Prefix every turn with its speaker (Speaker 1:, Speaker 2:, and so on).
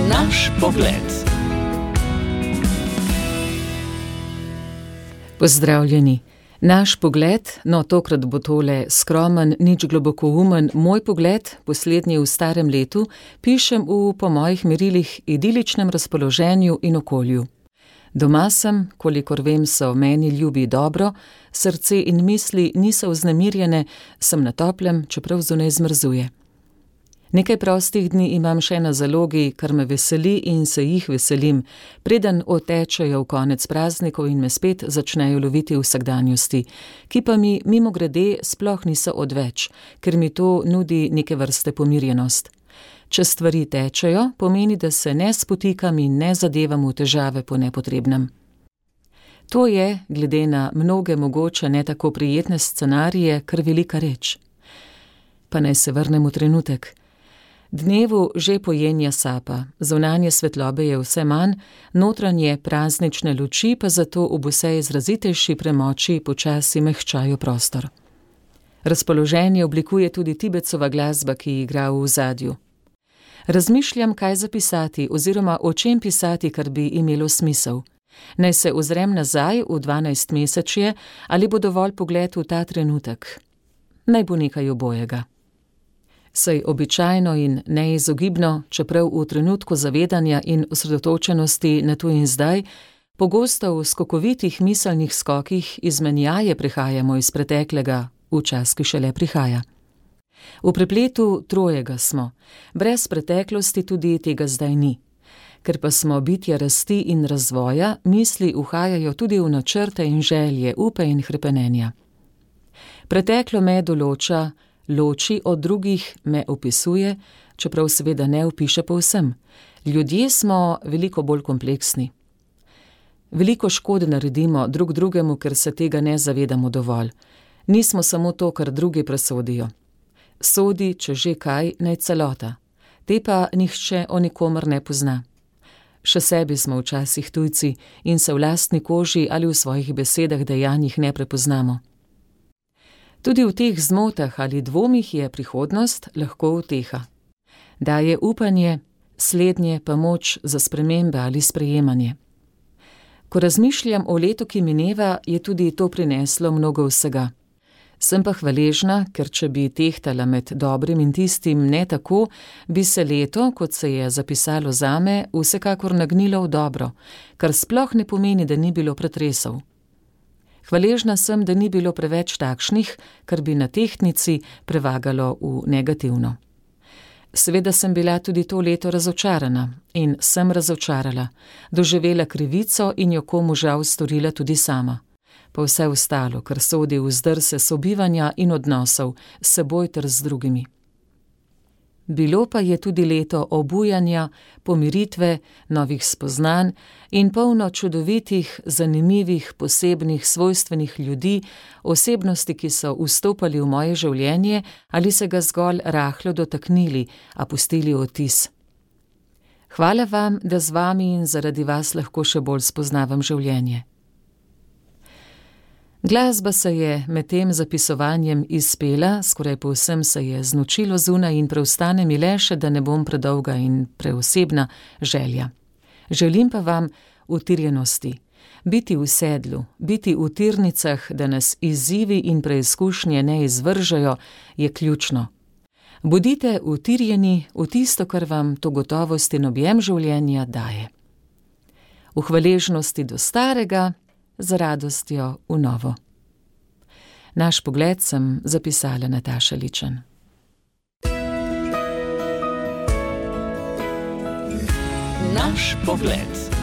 Speaker 1: Naš pogled.
Speaker 2: Pozdravljeni. Naš pogled, no tokrat bo tole skromen, nič globokoumen, moj pogled, poslednji v starem letu, pišem v, po mojih merilih, idiličnem razpoloženju in okolju. Doma sem, kolikor vem, so meni ljubi dobro, srce in misli niso vznemirjene, sem na toplem, čeprav zunaj zmrzuje. Nekaj prostih dni imam še na zalogi, kar me veseli in se jih veselim, preden otečejo v konec praznikov in me spet začnejo loviti vsakdanjosti, ki pa mi mimogrede sploh niso odveč, ker mi to nudi neke vrste pomirjenost. Če stvari tečejo, pomeni, da se ne spotikam in ne zadevam v težave po nepotrebnem. To je, glede na mnoge mogoče ne tako prijetne scenarije, kar velika reč. Pa naj se vrnem v trenutek. Dnevu že pojenja sapa, zunanje svetlobe je vse manj, notranje praznične luči pa zato ob vse izrazitejši premoči počasi mehčajo prostor. Razpoloženje oblikuje tudi Tibetsova glasba, ki igra v ozadju. Razmišljam, kaj zapisati oziroma o čem pisati, kar bi imelo smisel. Naj se ozrem nazaj v 12-mesečje ali bo dovolj pogled v ta trenutek. Naj bo nekaj obojega. Saj običajno in neizogibno, čeprav v trenutku zavedanja in osredotočenosti na tu in zdaj, pogosto v skokovitih miselnih skokih izmenjaje prihajamo iz preteklega v čas, ki šele prihaja. V prepletu trojega smo, brez preteklosti tudi tega zdaj ni. Ker pa smo bitja rasti in razvoja, misli uhajajo tudi v načrte in želje, upe in hrepenenja. Preteklo me določa, loči od drugih, me opisuje, čeprav seveda ne opiše povsem. Ljudje smo veliko bolj kompleksni. Veliko škode naredimo drug drugemu, ker se tega ne zavedamo dovolj. Nismo samo to, kar drugi presodijo. Sodi, če že kaj, naj celota. Te pa nihče o nikomer ne pozna. Še sebi smo včasih tujci in se v lastni koži ali v svojih besedah, dejanjih ne prepoznamo. Tudi v teh zmotah ali dvomih je prihodnost lahko uteha. Daje upanje, slednje pa moč za spremembe ali sprejemanje. Ko razmišljam o letu, ki mineva, je tudi to prineslo mnogo vsega. Sem pa hvaležna, ker če bi tehtala med dobrim in tistim ne tako, bi se leto, kot se je zapisalo zame, vsekakor nagnilo v dobro, kar sploh ne pomeni, da ni bilo pretresov. Hvaležna sem, da ni bilo preveč takšnih, kar bi na tehtnici prevagalo v negativno. Seveda sem bila tudi to leto razočarana in sem razočarala, doživela krivico in jo komu žal storila tudi sama. Pa vse ostalo, kar sodi v zdrse sobivanja in odnosov s seboj ter z drugimi. Bilo pa je tudi leto obujanja, pomiritve, novih spoznanj in polno čudovitih, zanimivih, posebnih, svojstvenih ljudi, osebnosti, ki so vstopali v moje življenje ali se ga zgolj rahlo dotaknili, a pustili odtis. Hvala vam, da z vami in zaradi vas lahko še bolj spoznavam življenje. Glasba se je med tem zapisovanjem izpela, skoraj povsem se je znočilo zunaj in preostane mi le še, da ne bom predolga in preosebna želja. Želim pa vam utirjenosti, biti v sedlu, biti v tirnicah, da nas izzivi in preizkušnje ne izvržejo, je ključno. Bodite utirjeni v tisto, kar vam to gotovost in objem življenja daje. V hvaležnosti do starega, z radostjo v novo. Naš pogled sem zapisala Nataša Ličen.
Speaker 1: Naš pogled.